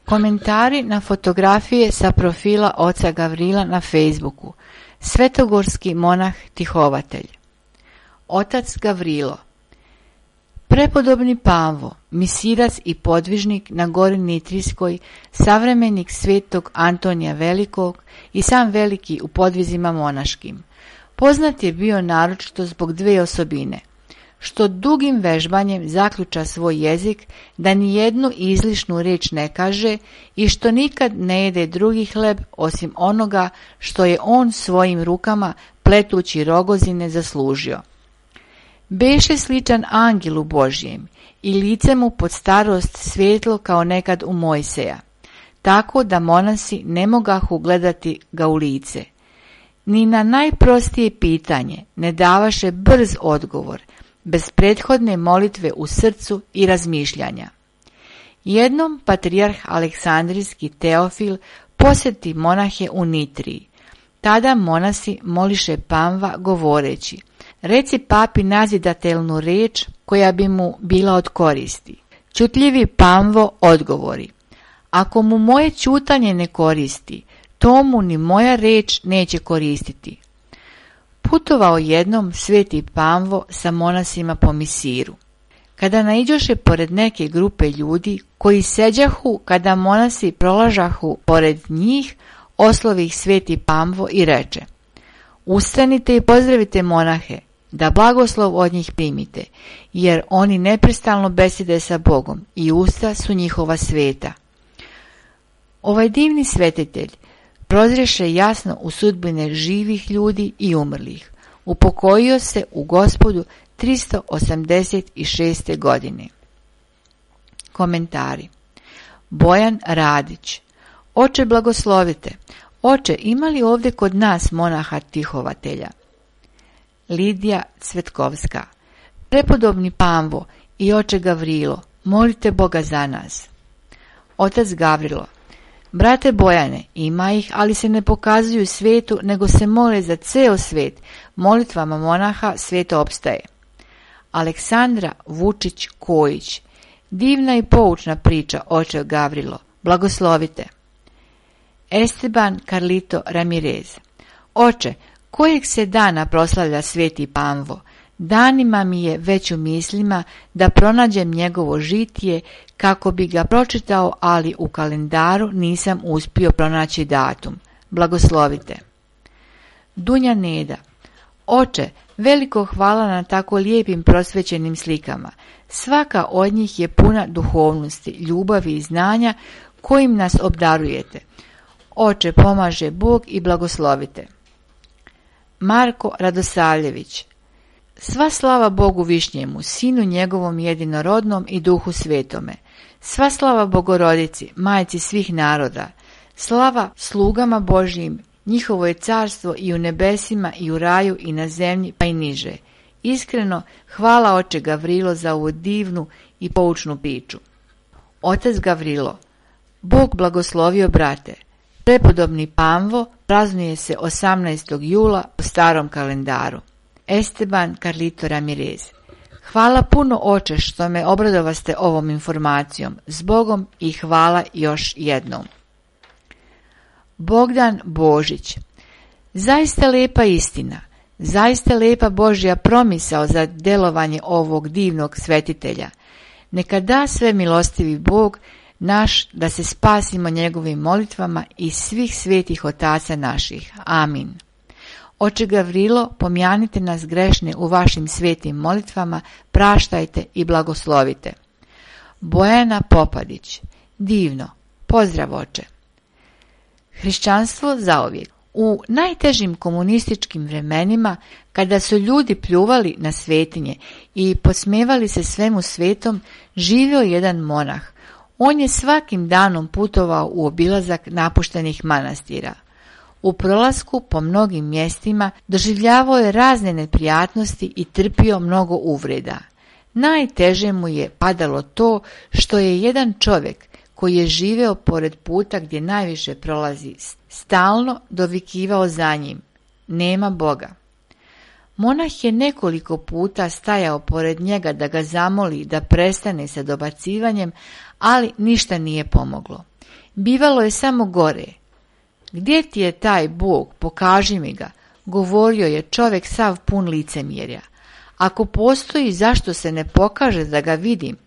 Komentari na fotografije sa profila oca Gavrila na Facebooku. Svetogorski monah tihovatelj. Otac Gavrilo. Prepodobni Pavvo, misirac i podvižnik na gori Nitrijskoj, savremenik svetog Antonija Velikog i sam veliki u podvizima monaškim. Poznat je bio naročito zbog dve osobine, što dugim vežbanjem zaključa svoj jezik, da ni jednu izlišnu riječ ne kaže i što nikad ne jede drugi hleb osim onoga što je on svojim rukama pletući rogozine zaslužio. Beše sličan angelu Božjem i lice mu pod starost svijetlo kao nekad u Mojseja, tako da monasi ne mogahu gledati ga u lice. Ni na najprostije pitanje ne davaše brz odgovor, bez prethodne molitve u srcu i razmišljanja. Jednom patrijarh Aleksandrijski Teofil posjeti monahe u Nitriji. Tada monasi moliše Pavva govoreći: reci papi nazidatelnu riječ koja bi mu bila od koristi. Čutljivi Pavvo odgovori: ako mu moje ćutanje ne koristi, to mu ni moja riječ neće koristiti. Putovao jednom sveti Pavvo sa monasima po Misiru. Kada naiđoše pored neke grupe ljudi koji seđahu kada monasi prolažahu pored njih, oslovi ih sveti Pavvo i reče: ustanite i pozdravite monahe, da blagoslov od njih primite, jer oni neprestalno besede sa Bogom i usta su njihova sveta. Ovaj divni svetitelj prozreše jasno u sudbine živih ljudi i umrlih. Upokojio se u Gospodu 386. godine. Komentari. Bojan Radić. Oče blagoslovite. Oče, ima li ovdje kod nas monaha tihovatelja? Lidija Cvetkovska. Prepodobni Pavvo i oče Gavrilo, molite Boga za nas. Otac Gavrilo. Brate Bojane, ima ih, ali se ne pokazuju svetu, nego se mole za ceo svet. Molitvama monaha svijet opstaje. Aleksandra Vučić Kojić. Divna i poučna priča, oče Gavrilo. Blagoslovite. Esteban Carlito Ramirez. Oče, kojeg se dana proslavlja sveti Pavvo? Danima mi je već u mislima da pronađem njegovo žitije kako bi ga pročitao, ali u kalendaru nisam uspio pronaći datum. Blagoslovite. Dunja Neda. Oče, veliko hvala na tako lijepim prosvećenim slikama. Svaka od njih je puna duhovnosti, ljubavi i znanja kojim nas obdarujete. Oče, pomaže Bog i blagoslovite. Marko Radosavljević. Sva slava Bogu Višnjemu, Sinu njegovom jedinorodnom i Duhu Svetome. Sva slava Bogorodici, Majci svih naroda. Slava slugama Božjim, njihovo je carstvo i u nebesima i u raju i na zemlji pa i niže. Iskreno, hvala oče Gavrilo za ovu divnu i poučnu priču. Otac Gavrilo. Bog blagoslovio brate. Prepodobni Pavvo praznuje se 18. jula po starom kalendaru. Esteban Carlito Ramirez. Hvala puno oče što me obradovaste ovom informacijom. S Bogom i hvala još jednom. Bogdan Božić. Zaista lepa istina, zaista lepa Božja promisao za delovanje ovog divnog svetitelja. Neka da sve milostivi Bog naš da se spasimo njegovim molitvama i svih svetih otaca naših. Amin. Oče Gavrilo, pomjanite nas grešne u vašim svetim molitvama, praštajte i blagoslovite. Bojana Popadić. Divno. Pozdrav oče. Hrišćanstvo zauvijek. U najtežim komunističkim vremenima, kada su ljudi pljuvali na svetinje i podsmevali se svemu svetom, živio jedan monah. On je svakim danom putovao u obilazak napuštenih manastira. U prolasku po mnogim mjestima doživljavao je razne neprijatnosti i trpio mnogo uvreda. Najteže mu je padalo to što je jedan čovjek koji je živeo pored puta gdje najviše prolazi stalno dovikivao za njim: nema Boga. Monah je nekoliko puta stajao pored njega da ga zamoli da prestane sa dobacivanjem, ali ništa nije pomoglo. Bivalo je samo gore. Gdje ti je taj Bog, pokaži mi ga, govorio je čovjek sav pun licemjerja. Ako postoji, zašto se ne pokaže da ga vidim?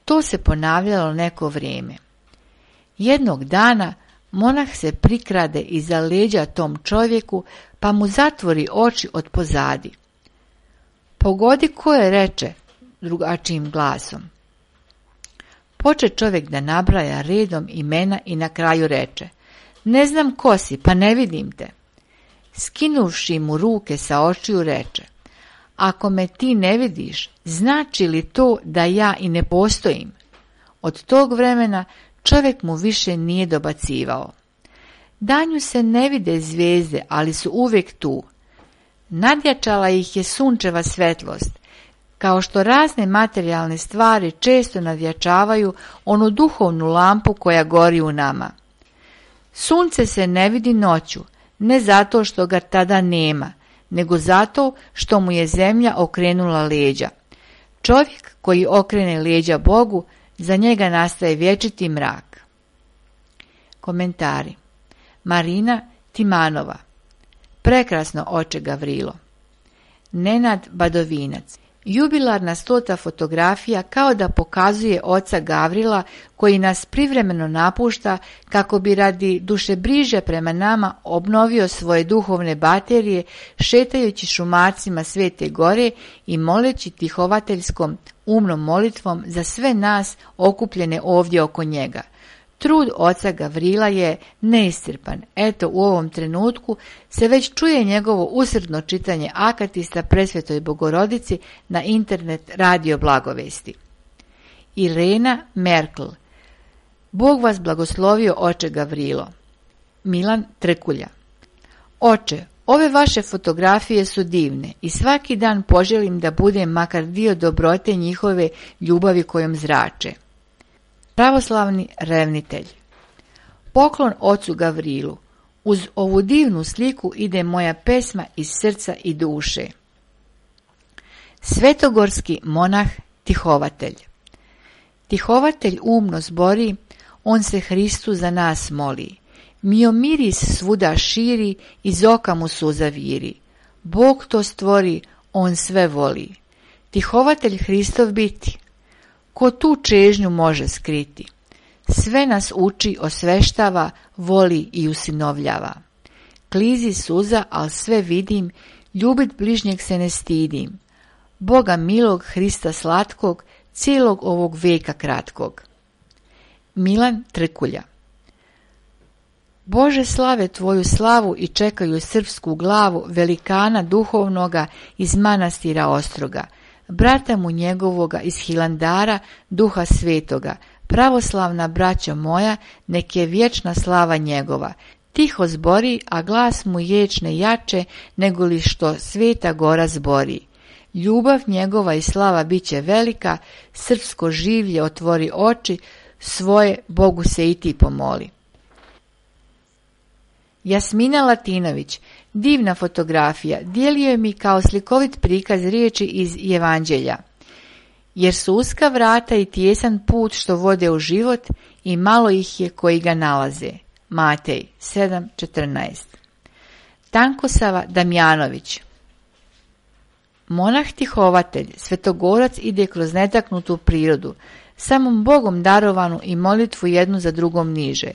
To se ponavljalo neko vrijeme. Jednog dana monah se prikrade iza leđa tom čovjeku, pa mu zatvori oči od pozadi. Pogodi ko je, reče drugačijim glasom. Poče čovjek da nabraja redom imena i na kraju reče: ne znam ko si, pa ne vidim te. Skinuvši mu ruke sa očiju reče: ako me ti ne vidiš, znači li to da ja i ne postojim? Od tog vremena čovjek mu više nije dobacivao. Danju se ne vide zvijezde, ali su uvijek tu. Nadjačala ih je sunčeva svetlost, kao što razne materijalne stvari često nadjačavaju onu duhovnu lampu koja gori u nama. Sunce se ne vidi noću, ne zato što ga tada nema, nego zato što mu je zemlja okrenula leđa. Čovjek koji okrene leđa Bogu, za njega nastaje vječiti mrak. Komentari. Marina Timanova. Prekrasno, oče Gavrilo. Nenad Badovinac. Jubilarna 100. fotografija kao da pokazuje oca Gavrila koji nas privremeno napušta kako bi radi dušebriže prema nama obnovio svoje duhovne baterije šetajući šumarcima Svete Gore i moleći tihovateljskom umnom molitvom za sve nas okupljene ovdje oko njega. Trud oca Gavrila je neiscrpan. Eto, u ovom trenutku se već čuje njegovo usrdno čitanje akatista Presvetoj Bogorodici na internet radio Blagovesti. Irena Merkel. Bog vas blagoslovio, oče Gavrilo. Milan Trkulja. Oče, ove vaše fotografije su divne i svaki dan poželim da budem makar dio dobrote njihove ljubavi kojom zrače. Pravoslavni revnitelj. Poklon ocu Gavrilu. Uz ovu divnu sliku ide moja pesma iz srca i duše. Svetogorski monah tihovatelj. Tihovatelj umno zbori, on se Hristu za nas moli. Mio miris svuda širi, iz oka mu suza viri. Bog to stvori, on sve voli. Tihovatelj Hristov biti. Ko tu čežnju može skriti? Sve nas uči, osveštava, voli i usinovljava. Klizi suza, al sve vidim, ljubit bližnjeg se ne stidim. Boga milog, Hrista slatkog, cijelog ovog veka kratkog. Milan Trkulja. Bože, slave tvoju slavu i čekaju srpsku glavu velikana duhovnoga iz manastira Ostroga, brata mu njegovoga iz Hilandara, duha svetoga, pravoslavna braćo moja, nek je vječna slava njegova. Tiho zbori, a glas mu ječne jače, nego li što Sveta Gora zbori. Ljubav njegova i slava bit će velika, srpsko življe otvori oči, svoje Bogu se i ti pomoli. Jasmina Latinović. Divna fotografija, dijelio je mi kao slikovit prikaz riječi iz Evanđelja. Jer su uska vrata i tijesan put što vode u život i malo ih je koji ga nalaze. Matej 7.14. Tankosava Damjanović. Monah tihovatelj, svetogorac ide kroz netaknutu prirodu, samom Bogom darovanu i molitvu jednu za drugom niže.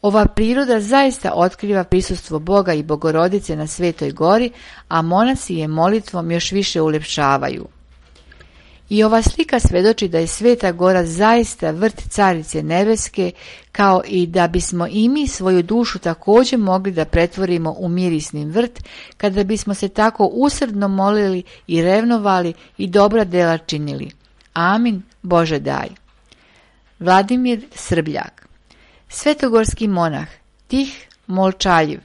Ova priroda zaista otkriva prisustvo Boga i Bogorodice na Svetoj Gori, a monasi je molitvom još više uljepšavaju. I ova slika svjedoči da je Sveta Gora zaista vrt Carice Nebeske, kao i da bismo i mi svoju dušu također mogli da pretvorimo u mirisni vrt, kada bismo se tako usrdno molili i revnovali i dobra dela činili. Amin, Bože daj. Vladimir Srbljak. Svetogorski monah, tih, molčaljiv,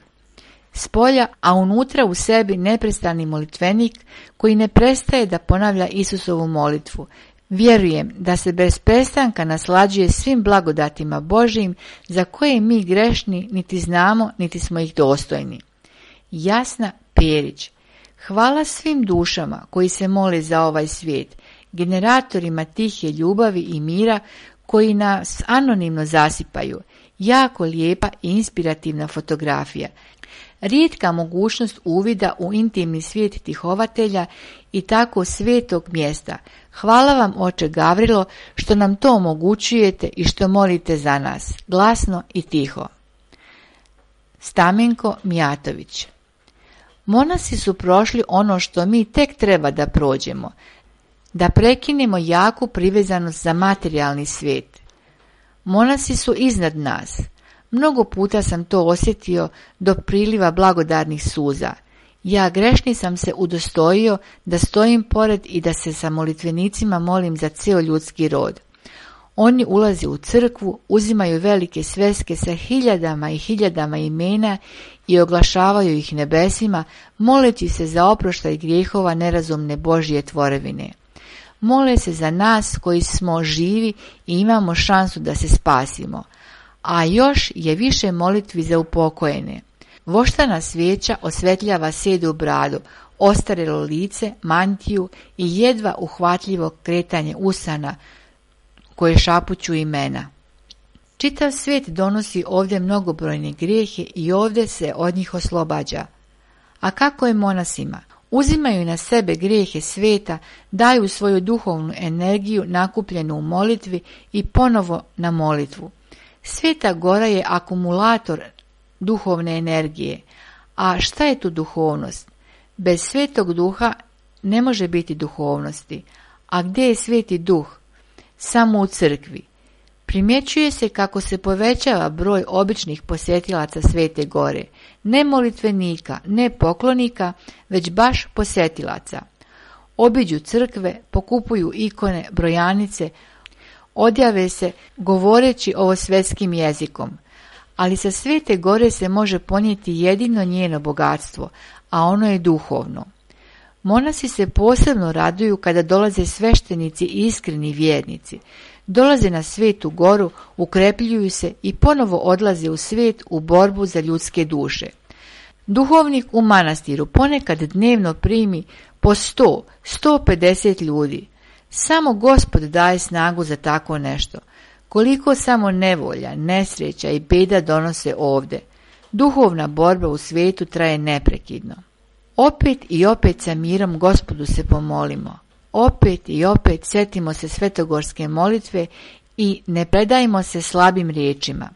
spolja, a unutra u sebi neprestani molitvenik koji ne prestaje da ponavlja Isusovu molitvu. Vjerujem da se bez prestanka naslađuje svim blagodatima Božijim za koje mi grešni niti znamo niti smo ih dostojni. Jasna Perić. Hvala svim dušama koji se mole za ovaj svijet, generatorima tihe ljubavi i mira koji nas anonimno zasipaju Jako lijepa i inspirativna fotografija. Rijetka mogućnost uvida u intimni svijet tihovatelja i tako svetog mjesta. Hvala vam, oče Gavrilo, što nam to omogućujete i što molite za nas, glasno i tiho. Stamenko Mijatović. Monasi su prošli ono što mi tek treba da prođemo, da prekinemo jaku privezanost za materijalni svijet. Monasi su iznad nas. Mnogo puta sam to osjetio do priliva blagodarnih suza. Ja grešni sam se udostojio da stojim pored i da se sa molitvenicima molim za cijel ljudski rod. Oni ulaze u crkvu, uzimaju velike sveske sa hiljadama i hiljadama imena i oglašavaju ih nebesima, moleći se za oproštaj grijehova nerazumne Božje tvorevine. Mole se za nas koji smo živi i imamo šansu da se spasimo. A još je više molitvi za upokojene. Voštana svijeća osvetljava sedu bradu, ostarelo lice, mantiju i jedva uhvatljivo kretanje usana koje šapuću imena. Čitav svijet donosi ovdje mnogobrojne grijehe i ovdje se od njih oslobađa. A kako je monasima? Uzimaju na sebe grijehe svijeta, daju svoju duhovnu energiju nakupljenu u molitvi i ponovo na molitvu. Sveta gora je akumulator duhovne energije. A šta je tu duhovnost? Bez svetog duha ne može biti duhovnosti. A gdje je sveti duh? Samo u crkvi. Primjećuje se kako se povećava broj običnih posjetilaca Svete gore. Ne molitvenika, ne poklonika, već baš posjetilaca. Obiđu crkve, pokupuju ikone, brojanice, odjave se govoreći ovo svetskim jezikom. Ali sa Svete gore se može ponijeti jedino njeno bogatstvo, a ono je duhovno. Monasi se posebno raduju kada dolaze sveštenici i iskreni vjernici. Dolaze na Svetu goru, ukrepljuju se i ponovo odlaze u svijet u borbu za ljudske duše. Duhovnik u manastiru ponekad dnevno primi po 100, 150 ljudi. Samo Gospod daje snagu za tako nešto. Koliko samo nevolja, nesreća i beda donose ovdje. Duhovna borba u svijetu traje neprekidno. Opet i opet sa mirom Gospodu se pomolimo. Opet i opet sjetimo se svetogorske molitve i ne predajmo se slabim riječima.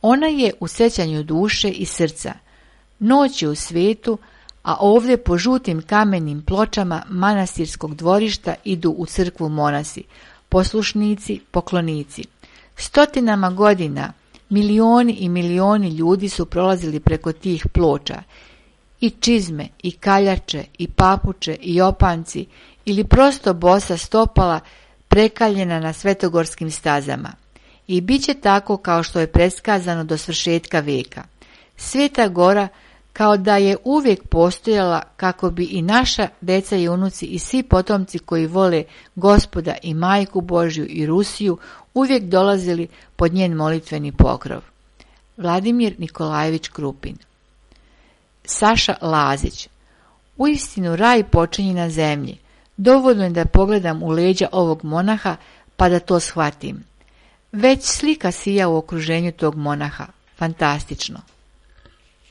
Ona je u sjećanju duše i srca. Noć je u svijetu, a ovdje po žutim kamenim pločama manastirskog dvorišta idu u crkvu monasi, poslušnici, poklonici. Stotinama godina milioni i milioni ljudi su prolazili preko tih ploča. I čizme, i kaljače, i papuče, i opanci, ili prosto bosa stopala prekaljena na svetogorskim stazama. I bit će tako kao što je predskazano do svršetka vijeka. Sveta gora kao da je uvijek postojala kako bi i naša deca i unuci i svi potomci koji vole Gospoda i Majku Božju i Rusiju uvijek dolazili pod njen molitveni pokrov. Vladimir Nikolajević Krupin. Saša Lazić. Uistinu raj počinje na zemlji. Dovoljno je da pogledam u leđa ovog monaha pa da to shvatim. Već slika sija u okruženju tog monaha. Fantastično.